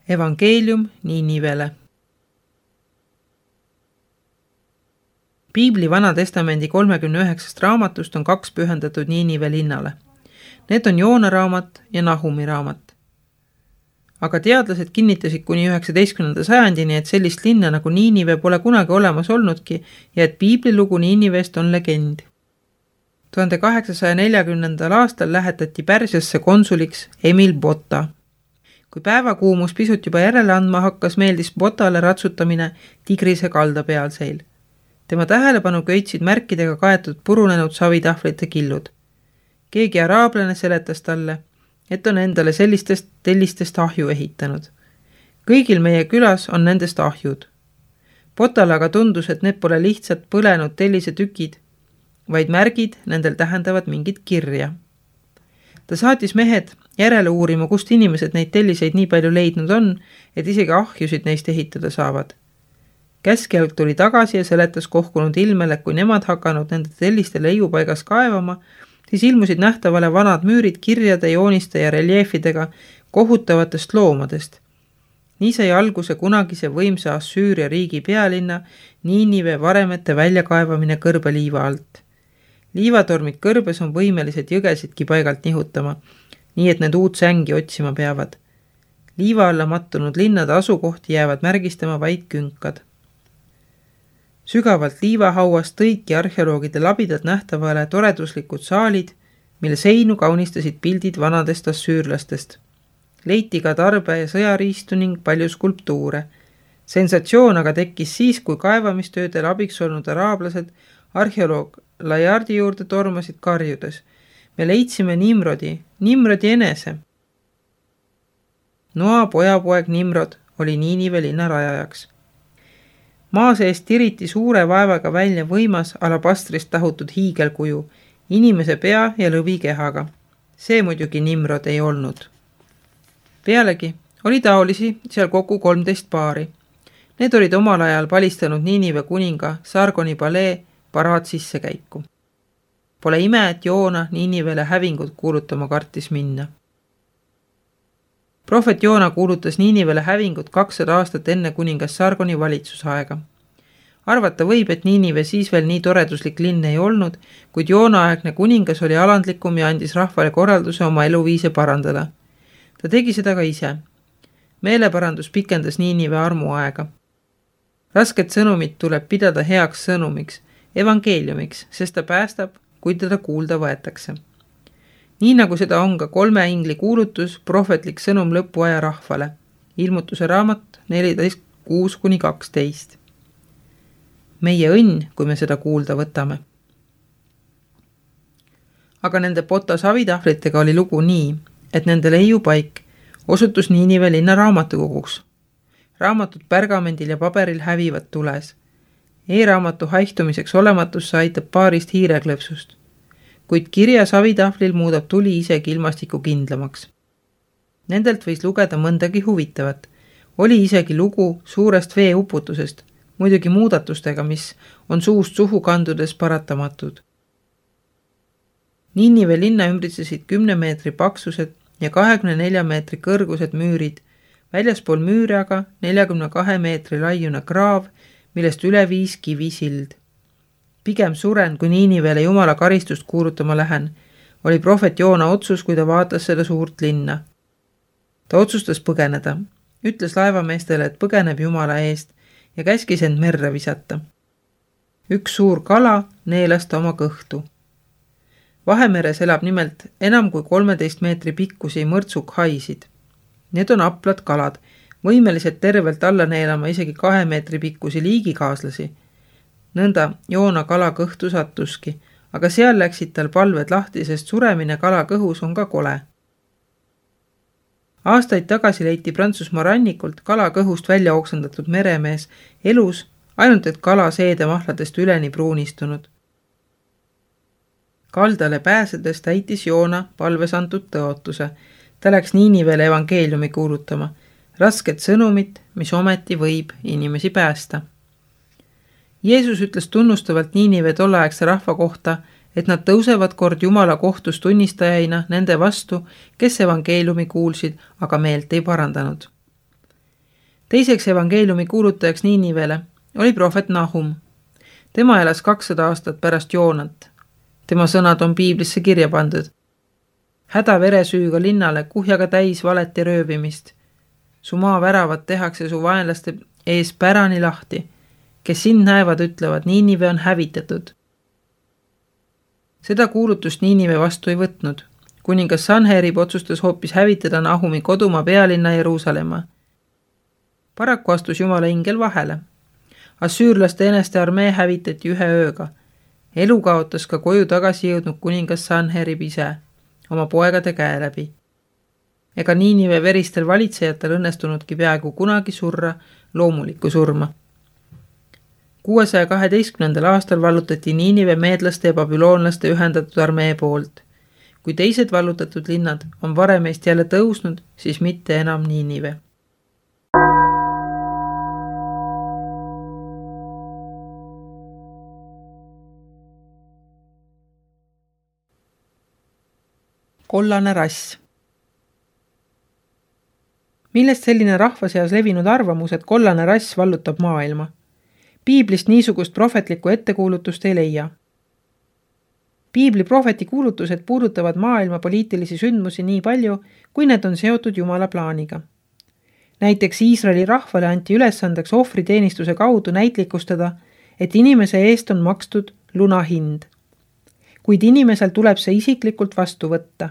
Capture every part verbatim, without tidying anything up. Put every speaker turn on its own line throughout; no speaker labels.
Evangeelium Niinivele. Piibli Vanatestamendi kolmekümne üheksast raamatust on kaks pühendatud Niinive linnale. Need on Joona raamat ja Nahumi raamat. Aga teadlased kinnitasid kuni üheksateistkümnenda sajandini, et sellist linna nagu Niinive pole kunagi olemas olnudki ja et piiblilugu Niinivest on legend. tuhande kaheksasaja neljakümnendal aastal lähetati Pärsiasse konsuliks Emil Botta. Kui päevakuumus pisut juba järele andma hakkas, meeldis Botale ratsutamine Tigrise kalda pealseil. Tema tähelepanu köitsid märkidega kaetud purunenud savitahvlite killud. Keegi araablane seletas talle, et on endale sellistest tellistest ahju ehitanud. Kõigil meie külas on nendest ahjud. Botale aga tundus, et need pole lihtsalt põlenud tellise tükid, vaid märgid nendel tähendavad mingit kirja. Ta saatis mehed järele uurima, kust inimesed neid telliseid nii palju leidnud on, et isegi ahjusid neist ehitada saavad. Käskjalg tuli tagasi ja seletas kohkunud ilmele, kui nemad hakanud nende telliste leiupaigas kaevama, siis ilmusid nähtavale vanad müürid kirjade, jooniste ja reljeefidega kohutavatest loomadest. Nii sai alguse kunagise võimsa Assüüria riigi pealinna Niinive varemete väljakaevamine kõrbeliiva alt. Liivatormid kõrbes on võimelised jõgesidki paigalt nihutama, nii et need uut sängi otsima peavad. Liiva alla mattunud linnade asukohti jäävad märgistama vaid künkad. Sügavalt liivahauast tõidki arheoloogide labidad nähtavale toreduslikud saalid, mille seinu kaunistasid pildid vanadest assüürlastest. Leiti ka tarbe ja sõjariistu ning palju skulptuure. Sensatsioon aga tekkis siis, kui kaevamistöödel abiks olnud araablased arheoloog Lajardi juurde tormasid karjudes. Me leidsime Nimrodi, Nimrodi enese. Noa pojapoeg Nimrod oli Niinive linna rajajaks. Maa seest tiriti suure vaevaga välja võimas alabastrist tahutud hiigelkuju, inimese pea ja lõvi kehaga. See muidugi Nimrod ei olnud. Pealegi oli taolisi seal kokku kolmteist paari. Need olid omal ajal palistanud Niinive kuninga Sargoni palee paraad sissekäiku. Pole ime, et Joona Niinivele hävingut kuulutama kartis minna. Prohvet Joona kuulutas Niinivele hävingut kakssada aastat enne kuningas Sargoni valitsusaega. Arvata võib, et Niinive siis veel nii toreduslik linn ei olnud, kuid Joona-aegne kuningas oli alandlikum ja andis rahvale korralduse oma eluviise parandada. Ta tegi seda ka ise. Meeleparandus pikendas Niinive armuaega. Rasket sõnumit tuleb pidada heaks sõnumiks, evangeeliumiks, sest ta päästab, kui teda kuulda võetakse. Nii nagu seda on ka kolme ingli kuulutus, prohvetlik sõnum lõpuaja rahvale. Ilmutuse raamat neliteist kuus kuni kaksteist. Meie õnn, kui me seda kuulda võtame. Aga nende Botta savitahvlitega oli lugu nii, et nende leiupaik osutus Niinive linna raamatukoguks. Raamatud pärgamendil ja paberil hävivad tules. E-raamatu haihtumiseks olematusse aitab paarist hiireklõpsust, kuid kirja savitahvlil muudab tuli isegi ilmastiku kindlamaks. Nendelt võis lugeda mõndagi huvitavat. Oli isegi lugu suurest veeuputusest, muidugi muudatustega, mis on suust suhu kandudes paratamatud. Niinive linna ümbritsesid kümne meetri paksused ja kahekümne nelja meetri kõrgused müürid, väljaspool müüri aga neljakümne kahe meetri laiune kraav, millest üle viis kivisild. Pigem suren, kui Niinivele Jumala karistust kuulutama lähen, oli prohvet Joona otsus, kui ta vaatas seda suurt linna. Ta otsustas põgeneda, ütles laevameestele, et põgeneb Jumala eest ja käskis end merre visata. Üks suur kala neelas ta oma kõhtu. Vahemeres elab nimelt enam kui kolmeteist meetri pikkusi mõrtsukhaisid. Need on aplad kalad, võimelised tervelt alla neelama isegi kahe meetri pikkusi liigikaaslasi. Nõnda Joona kala kõhtu sattuski, aga seal läksid tal palved lahti, sest suremine kala kõhus on ka kole. Aastaid tagasi leiti Prantsusmaa rannikult kala kõhust välja oksendatud meremees elus, ainult et kala seedemahladest üleni pruunistunud. Kaldale pääsedes täitis Joona palves antud tõotuse. Ta läks Niinivele evangeeliumi kuulutama. Rasket sõnumit, mis ometi võib inimesi päästa. Jeesus ütles tunnustavalt Niinive tolleaegse rahva kohta, et nad tõusevad kord Jumala kohtus tunnistajaina nende vastu, kes evangeeliumi kuulsid, aga meelt ei parandanud. Teiseks evangeeliumi kuulutajaks Niinivele oli prohvet Nahum. Tema elas kakssada aastat pärast Joonat. Tema sõnad on piiblisse kirja pandud. Häda veresüüga linnale, kuhjaga täis valet ja röövimist. Su maa väravad tehakse su vaenlaste ees pärani lahti. Kes sind näevad, ütlevad, Niinive on hävitatud. Seda kuulutust Niinive vastu ei võtnud. Kuningas Sanherib otsustas hoopis hävitada Nahumi kodumaa pealinna Jeruusalemma. Paraku astus Jumala ingel vahele. Assüürlaste eneste armee hävitati ühe ööga. Elu kaotas ka koju tagasi jõudnud kuningas Sanherib ise, oma poegade käe läbi. Ega Niinive veristel valitsejatel õnnestunudki peaaegu kunagi surra loomulikku surma. kuuesaja kaheteistkümnendal aastal vallutati Niinive meedlaste ja babüloonlaste ühendatud armee poolt. Kui teised vallutatud linnad on varemeist jälle tõusnud, siis mitte enam Niinive. Kollane rass. Millest selline rahva seas levinud arvamus, et kollane rass vallutab maailma? Piiblist niisugust prohvetlikku ettekuulutust ei leia. Piibli prohveti kuulutused puudutavad maailma poliitilisi sündmusi nii palju, kui need on seotud Jumala plaaniga. Näiteks Iisraeli rahvale anti ülesandeks ohvriteenistuse kaudu näitlikustada, et inimese eest on makstud lunahind. Kuid inimesel tuleb see isiklikult vastu võtta.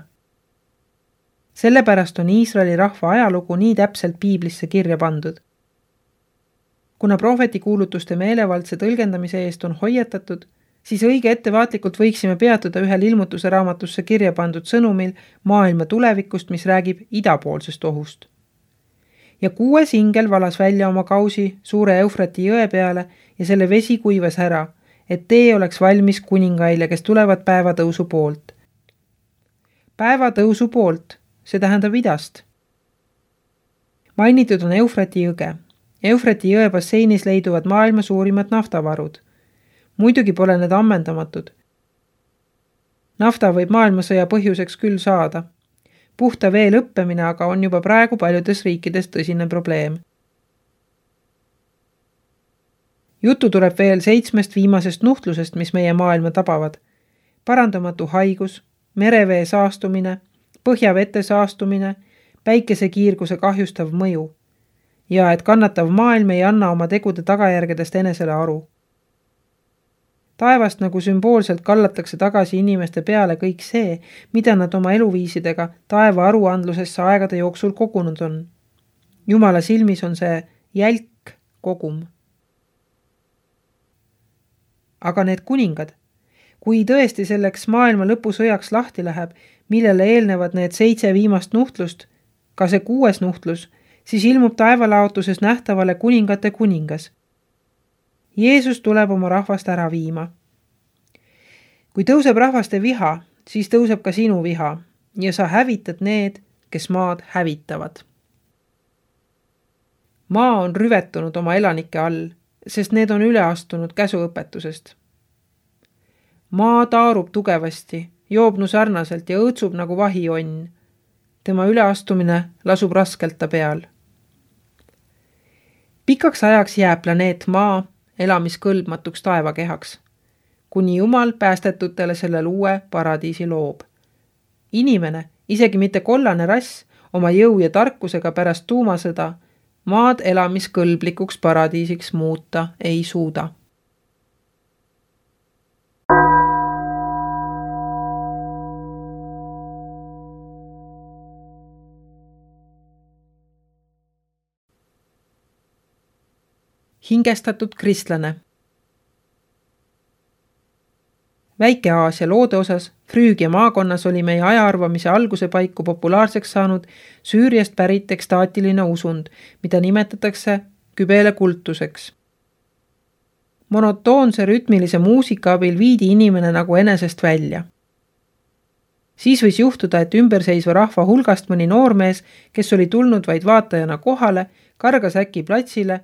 Sellepärast on Iisraeli rahva ajalugu nii täpselt piiblisse kirja pandud. Kuna prohveti kuulutuste meelevaldse tõlgendamise eest on hoiatatud, siis õige ettevaatlikult võiksime peatuda ühel ilmutuse raamatusse kirja pandud sõnumil maailma tulevikust, mis räägib idapoolsest ohust. Ja kuues ingel valas välja oma kausi suure Eufrati jõe peale ja selle vesi kuivas ära, et tee oleks valmis kuningaile, kes tulevad päevatõusu poolt. Päevatõusu poolt, see tähendab idast. Mainitud on Eufrati jõge. Eufrati jõe basseinis leiduvad maailma suurimad naftavarud. Muidugi pole need ammendamatud. Nafta võib maailmasõja põhjuseks küll saada. Puhta vee lõppemine aga on juba praegu paljudes riikides tõsine probleem. Juttu tuleb veel seitsmest viimasest nuhtlusest, mis meie maailma tabavad. Parandamatu haigus, merevee saastumine, põhjavete saastumine, päikesekiirguse kahjustav mõju ja et kannatav maailm ei anna oma tegude tagajärgedest enesele aru. Taevast nagu sümboolselt kallatakse tagasi inimeste peale kõik see, mida nad oma eluviisidega taeva aruandlusesse aegade jooksul kogunud on. Jumala silmis on see jälk kogum. Aga need kuningad, kui tõesti selleks maailma lõpusõjaks lahti läheb, millele eelnevad need seitse viimast nuhtlust, ka see kuues nuhtlus, siis ilmub taevalaotuses nähtavale kuningate kuningas. Jeesus tuleb oma rahvast ära viima. Kui tõuseb rahvaste viha, siis tõuseb ka sinu viha ja sa hävitad need, kes maad hävitavad. Maa on rüvetunud oma elanike all, sest need on üle astunud käsuõpetusest. Maa taarub tugevasti, joobnu sarnaselt ja õõtsub nagu vahionn. Tema üleastumine lasub raskelt ta peal. Pikaks ajaks jääb planeet Maa elamiskõlbmatuks taevakehaks, kuni Jumal päästetutele selle uue paradiisi loob. Inimene, isegi mitte kollane rass, oma jõu ja tarkusega pärast tuumasõda maad elamiskõlblikuks paradiisiks muuta ei suuda. Hingestatud kristlane. Väike-Aasia loode osas Früügia maakonnas oli meie ajaarvamise alguse paiku populaarseks saanud Süüriast pärit ekstaatiline usund, mida nimetatakse kübele kultuseks. Monotoonse rütmilise muusika abil viidi inimene nagu enesest välja. Siis võis juhtuda, et ümberseisva rahva hulgast mõni noormees, kes oli tulnud vaid vaatajana kohale, kargas äkki platsile,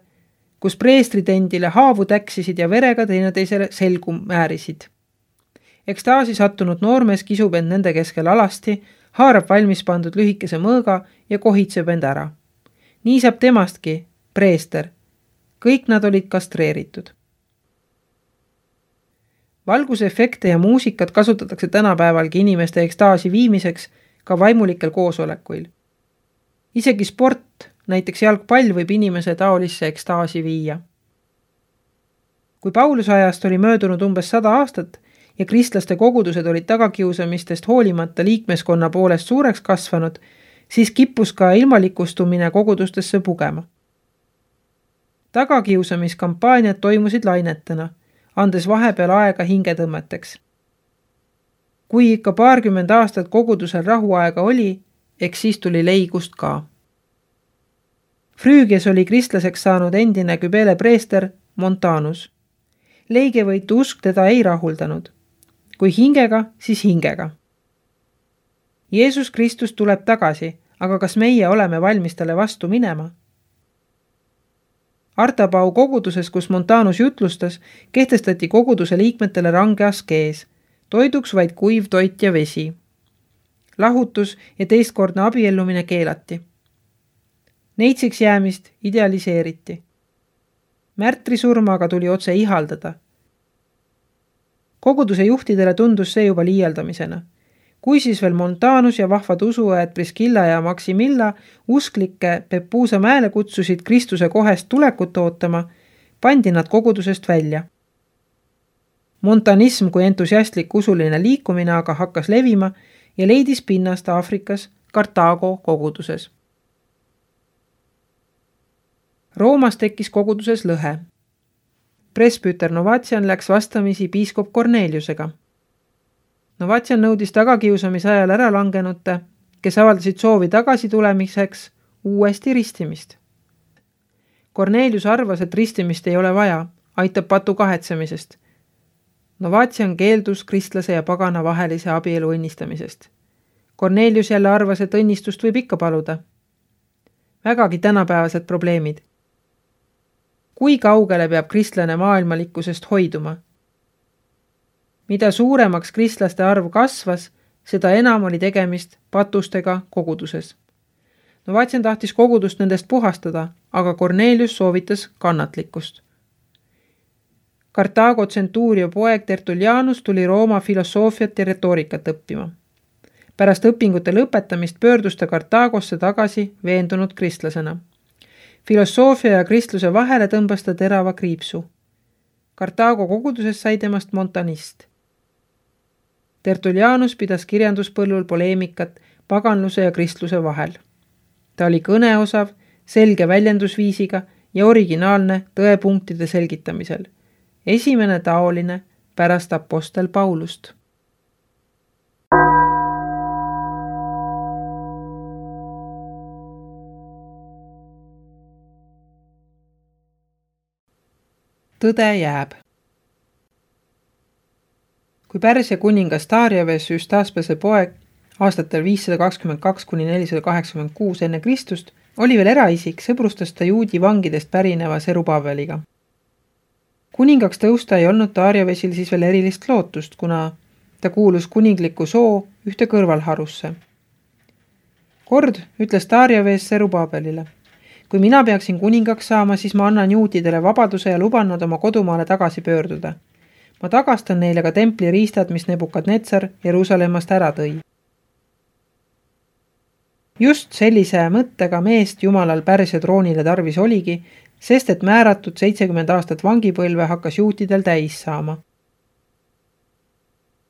kus preestritendile haavu täksisid ja verega teineteisele selgu määrisid. Ekstaasi sattunud noormees kisub end nende keskel alasti, haarab valmis pandud lühikese mõõga ja kohitseb end ära. Nii saab temastki preester. Kõik nad olid kastreeritud. Valgusefekte ja muusikat kasutatakse tänapäevalgi inimeste ekstaasi viimiseks ka vaimulikel koosolekuil. Isegi sport, näiteks jalgpall, võib inimese taolisse ekstaasi viia. Kui Pauluse ajast oli möödunud umbes sada aastat ja kristlaste kogudused olid tagakiusamistest hoolimata liikmeskonna poolest suureks kasvanud, siis kippus ka ilmalikustumine kogudustesse pugema. Tagakiusamiskampaaniad toimusid lainetena, andes vahepeal aega hingetõmmeteks. Kui ikka paarkümmend aastat kogudusel rahuaega oli, eks siis tuli leigust ka. Früügias oli kristlaseks saanud endine Kybele preester Montanus. Leigevõitu usk teda ei rahuldanud. Kui hingega, siis hingega. Jeesus Kristus tuleb tagasi, aga kas meie oleme valmis talle vastu minema? Artapau koguduses, kus Montanus jutlustas, kehtestati koguduse liikmetele range askees, toiduks vaid kuiv toit ja vesi. Lahutus ja teistkordne abiellumine keelati. Neitsiks jäämist idealiseeriti. Märtrisurmaga tuli otse ihaldada. Koguduse juhtidele tundus see juba liialdamisena. Kui siis veel Montanus ja vahvad usuajad Priskilla ja Maximilla usklikke Pepuusa mäele kutsusid Kristuse kohest tulekut ootama, pandi nad kogudusest välja. Montanism kui entusiastlik usuline liikumine aga hakkas levima ja leidis pinnast Aafrikas Kartaago koguduses. Roomas tekkis koguduses lõhe. Presbüter Novatian läks vastamisi piiskop Korneliusega. Novatian nõudis tagakiusamise ajal ära langenute, kes avaldasid soovi tagasi tulemiseks, uuesti ristimist. Kornelius arvas, et ristimist ei ole vaja, aitab patu kahetsemisest. Novatian keeldus kristlase ja pagana vahelise abielu õnnistamisest. Kornelius jälle arvas, et õnnistust võib ikka paluda. Vägagi tänapäevased probleemid. Kui kaugele peab kristlane maailmalikkusest hoiduma? Mida suuremaks kristlaste arv kasvas, seda enam oli tegemist patustega koguduses. Novatian tahtis kogudust nendest puhastada, aga Kornelius soovitas kannatlikkust. Kartaago tsentuurio poeg Tertullianus tuli Rooma filosoofiat ja retoorikat õppima. Pärast õpingute lõpetamist pöördus ta Kartaagosse tagasi veendunud kristlasena. Filosoofia ja kristluse vahele tõmbas ta terava kriipsu. Kartaago koguduses sai temast montanist. Tertullianus pidas kirjanduspõllul poleemikat paganluse ja kristluse vahel. Ta oli kõneosav, selge väljendusviisiga ja originaalne tõepunktide selgitamisel. Esimene taoline pärast apostel Paulust. Tõde jääb. Kui Pärsia kuningas Dariaves Üstaspese poeg aastatel viissada kakskümmend kaks kuni nelisada kaheksakümmend kuus enne Kristust oli veel eraisik, sõbrustas ta juudi vangidest pärineva Serubabeliga. Kuningaks tõusta ei olnud Dariavesil siis veel erilist lootust, kuna ta kuulus kuningliku soo ühte kõrvalharusse. Kord ütles Dariaves Serubabelile: kui mina peaksin kuningaks saama, siis ma annan juutidele vabaduse ja luban nad oma kodumaale tagasi pöörduda. Ma tagastan neile ka templi riistad, mis Nebukadnetsar Jeruusalemmast ära tõi. Just sellise mõttega meest Jumalal Pärsia troonile tarvis oligi, sest et määratud seitsekümmend aastat vangipõlve hakkas juutidel täis saama.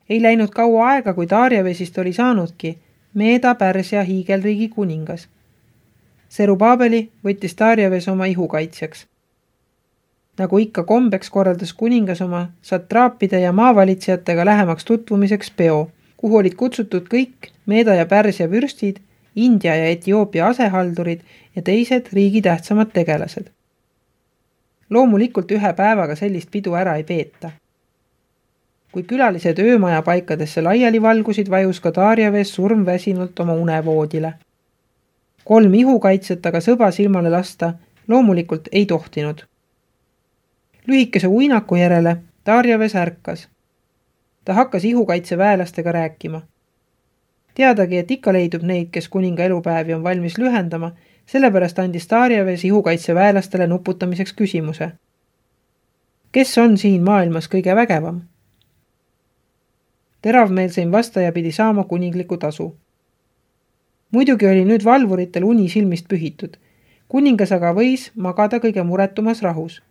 Ei läinud kaua aega, kui Dariavesist oli saanudki Meeda Pärsia hiigelriigi kuningas. Serubabeli võttis Dariaves oma ihukaitsjaks. Nagu ikka kombeks korraldas kuningas oma satraapide ja maavalitsejatega lähemaks tutvumiseks peo, kuhu olid kutsutud kõik Meeda ja Pärsia vürstid, India ja Etioopia asehaldurid ja teised riigi tähtsamad tegelased. Loomulikult ühe päevaga sellist pidu ära ei peeta. Kui külalised öömaja paikadesse laiali valgusid, vajus ka Dariaves surmväsinult oma unevoodile. Kolm ihukaitset aga sõba silmale lasta loomulikult ei tohtinud. Lühikese uinaku järele Dariaves ärkas. Ta hakkas ihukaitse väelastega rääkima. Teadagi, et ikka leidub neid, kes kuninga elupäevi on valmis lühendama, Sellepärast andis Darjaves ihukaitseväelastele nuputamiseks küsimuse. Kes on siin maailmas kõige vägevam? Teravmeelseim vastaja pidi saama kuningliku tasu. Muidugi oli nüüd valvuritel uni silmist pühitud. Kuningas aga võis magada kõige muretumas rahus.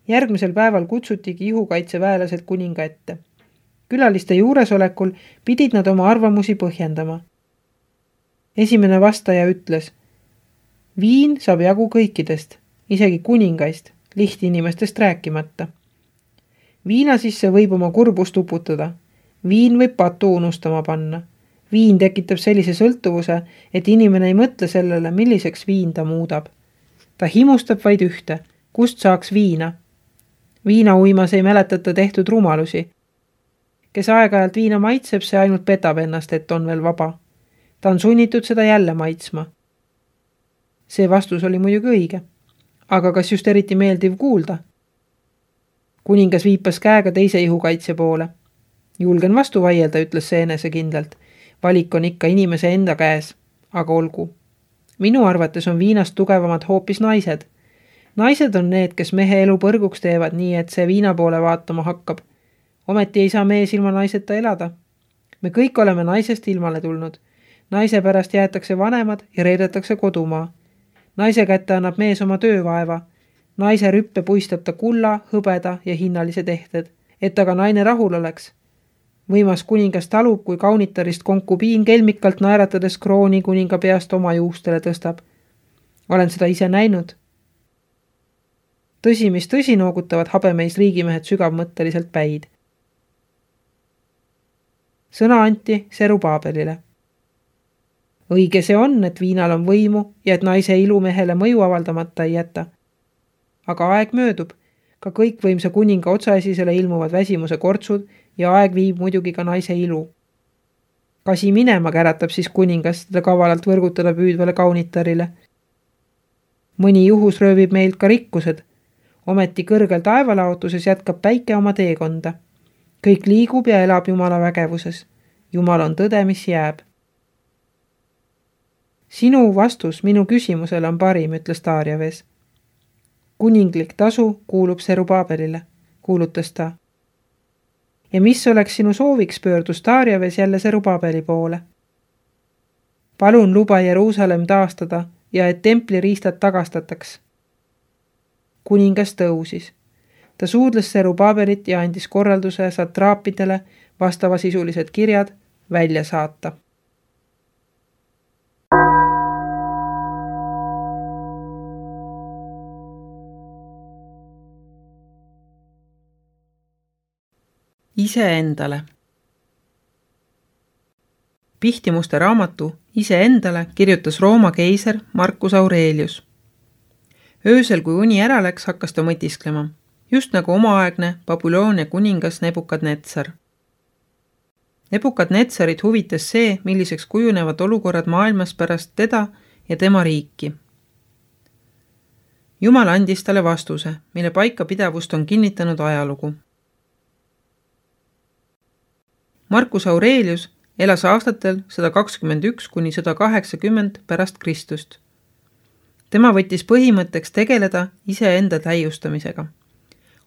Järgmisel päeval kutsutigi ihukaitseväelased kuninga ette. Külaliste juuresolekul pidid nad oma arvamusi põhjendama. Esimene vastaja ütles, viin saab jagu kõikidest, isegi kuningaist, lihtinimestest rääkimata. Viina sisse võib oma kurbust uputada. Viin võib patu unustama panna. Viin tekitab sellise sõltuvuse, et inimene ei mõtle sellele, milliseks viin ta muudab. Ta himustab vaid ühte, kust saaks viina. Viina uimas ei mäletata tehtud rumalusi. Kes aeg-ajalt viina maitseb, see ainult petab ennast, et on veel vaba. Ta on sunnitud seda jälle maitsma. See vastus oli muidugi õige. Aga kas just eriti meeldiv kuulda? Kuningas viipas käega teise ihukaitse poole. Julgen vastu vaielda, ütles see enesekindlalt. Valik on ikka inimese enda käes, aga olgu. Minu arvates on viinast tugevamad hoopis naised. Naised on need, kes mehe elu põrguks teevad nii, et see viina poole vaatama hakkab. Ometi ei saa mees ilma naiseta elada. Me kõik oleme naisest ilmale tulnud. Naise pärast jäetakse vanemad ja reedetakse kodumaa. Naise kätte annab mees oma töövaeva. Naise rüppe puistab ta kulla, hõbeda ja hinnalise tehted, et aga naine rahul oleks. Võimas kuningas talub, kui kaunitarist konkubiin kelmikalt naeratades krooni kuninga peast oma juustele tõstab. Olen seda ise näinud. Tõsi, mis tõsi, noogutavad habemeis riigimehed sügavmõtteliselt päid. Sõna anti Serubaabelile. Õige see on, et viinal on võimu ja et naise ilu mehele mõju avaldamata ei jäta. Aga aeg möödub, ka kõikvõimsa kuninga otsaesisele ilmuvad väsimuse kortsud ja aeg viib muidugi ka naise ilu. Kasi minema käratab siis kuningas teda kavalalt võrgutada püüdvale kaunitarile. Mõni juhus röövib meilt ka rikkused. Ometi kõrgel taevalaotuses jätkab päike oma teekonda. Kõik liigub ja elab Jumala vägevuses. Jumal on tõde, mis jääb. Sinu vastus minu küsimusele on parim, ütles Darjaves. Kuninglik tasu kuulub Serubaabelile, kuulutas ta. Ja mis oleks sinu sooviks, pöördus Darjaves jälle Serubaabeli poole. Palun luba Jeruusalemm taastada ja et templi riistad tagastataks. Kuningas tõusis. Ta suudles Serubaabelit ja andis korralduse satraapidele vastavasisulised kirjad välja saata. Iseendale. Pihtimuste raamatu Iseendale kirjutas Rooma keiser Marcus Aurelius. Öösel, kui uni ära läks, hakkas ta mõtisklema, just nagu omaaegne Babyloonia kuningas Nebukadnetsar. Nebukadnetsarit huvitas see, milliseks kujunevad olukorrad maailmas pärast teda ja tema riiki. Jumal andis talle vastuse, mille paikapidavust on kinnitanud ajalugu. Marcus Aurelius elas aastatel sada kakskümmend üks kuni sada kaheksakümmend pärast Kristust. Tema võttis põhimõtteks tegeleda iseenda täiustamisega.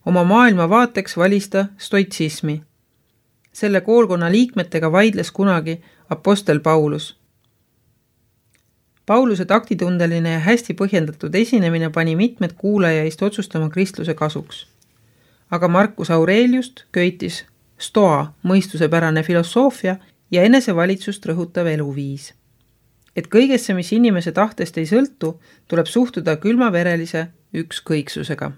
Oma maailma vaateks valis ta stoitsismi. Selle koolkonna liikmetega vaidles kunagi apostel Paulus. Pauluse taktitundeline ja hästi põhjendatud esinemine pani mitmed kuulajaist otsustama kristluse kasuks. Aga Marcus Aureliust köitis stoa, mõistusepärane filosoofia ja enesevalitsust rõhutav eluviis. Et kõigesse, mis inimese tahtest ei sõltu, tuleb suhtuda külmaverelise ükskõiksusega.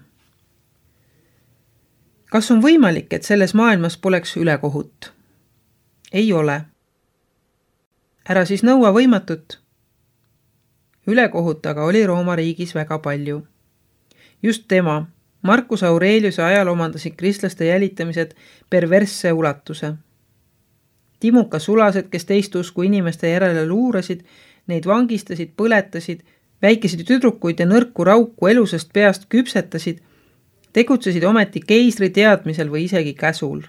Kas on võimalik, et selles maailmas poleks ülekohut? Ei ole. Ära siis nõua võimatut. Ülekohut aga oli Rooma riigis väga palju. Just tema, Marcus Aureliuse ajal omandasid kristlaste jälitamised perversse ulatuse. Timuka sulased, kes teist usku inimeste järele luurasid, neid vangistasid, põletasid, väikesid tüdrukuid ja nõrku rauku elusest peast küpsetasid, tegutsesid ometi keisri teadmisel või isegi käsul.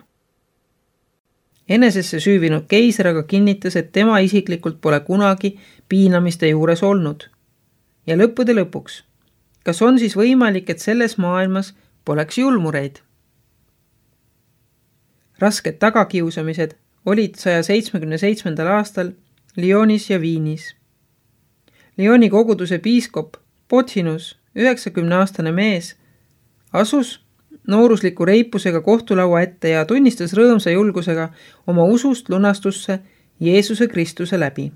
Enesesse süüvinud keiser aga kinnitas, et tema isiklikult pole kunagi piinamiste juures olnud. Ja lõppude lõpuks, kas on siis võimalik, et selles maailmas poleks julmureid? Rasked tagakiusamised olid saja seitsmekümne seitsmendal aastal Lyonis ja Viinis. Lyoni koguduse piiskop Pothinus, üheksakümne-aastane mees, asus noorusliku reipusega kohtulaua ette ja tunnistas rõõmsa julgusega oma usust lunastusse Jeesuse Kristuse läbi.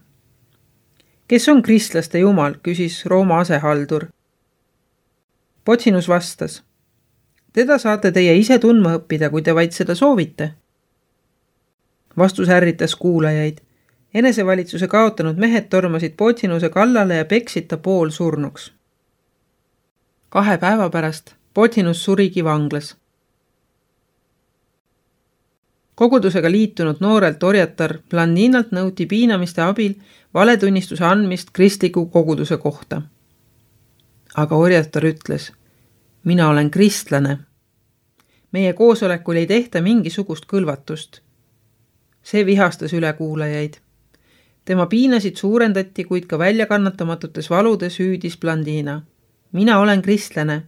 Kes on kristlaste jumal, küsis Rooma asehaldur. Pothinus vastas, teda saate teie ise tundma õppida, kui te vaid seda soovite. Vastus ärritas kuulajaid. Enesevalitsuse kaotanud mehed tormasid Pothinuse kallale ja peksid ta pool surnuks. Kahe päeva pärast Pothinus surigi vanglas. Kogudusega liitunud noorelt orjatar Blandinalt nõuti piinamiste abil valetunnistuse andmist kristliku koguduse kohta. Aga orjatar ütles, mina olen kristlane. Meie koosolekul ei tehta mingisugust kõlvatust. See vihastas ülekuulajaid. Tema piinasid suurendati, kuid ka väljakannatamatutes valudes hüüdis Blandina. Mina olen kristlane.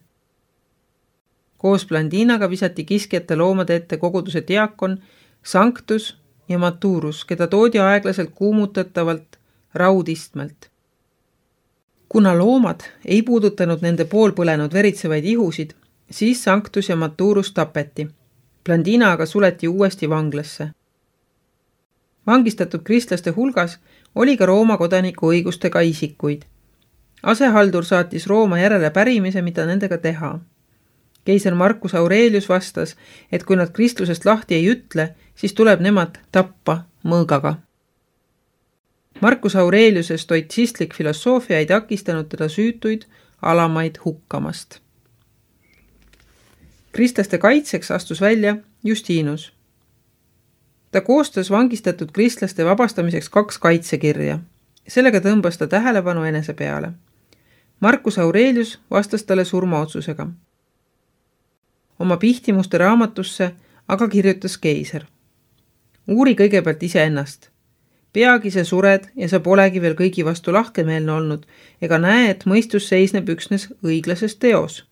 Koos Blandinaga visati kiskjate loomade ette koguduse diakon, Sanctus ja Maturus, keda toodi aeglaselt kuumutatavalt raudistmelt. Kuna loomad ei puudutanud nende poolpõlenud veritsevaid ihusid, siis Sanctus ja Maturus tapeti. Blandina aga suleti uuesti vanglasse. Vangistatud kristlaste hulgas oli ka Rooma kodaniku õigustega isikuid. Asehaldur saatis Rooma järele pärimise, mida nendega teha. Keiser Marcus Aurelius vastas, et kui nad kristlusest lahti ei ütle, siis tuleb nemad tappa mõõgaga. Marcus Aureliuse stoitsistlik filosoofia ei takistanud teda süütuid alamaid hukkamast. Kristlaste kaitseks astus välja Justinus. Ta koostas vangistatud kristlaste vabastamiseks kaks kaitsekirja. Sellega tõmbas ta tähelepanu enese peale. Marcus Aurelius vastas talle surmaotsusega. Oma pihtimuste raamatusse aga kirjutas keiser. Uuri kõigepealt iseennast. Peagi sa sured ja sa polegi veel kõigi vastu lahkemeelne olnud, ega näe, et mõistus seisneb üksnes õiglases teos.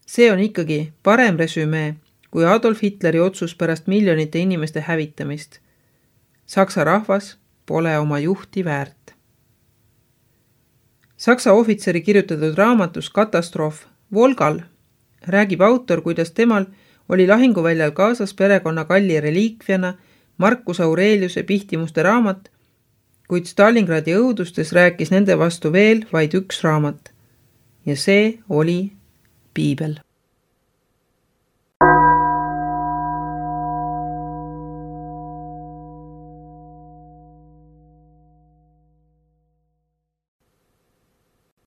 See on ikkagi parem resümee kui Adolf Hitleri otsus pärast miljonite inimeste hävitamist. Saksa rahvas pole oma juhti väärt. Saksa ohvitseri kirjutatud raamatus Katastroof Volgal räägib autor, kuidas temal oli lahinguväljal kaasas perekonna kalli reliikviana Marcus Aureliuse pihtimuste raamat, kuid Stalingradi õudustes rääkis nende vastu veel vaid üks raamat ja see oli Piibel.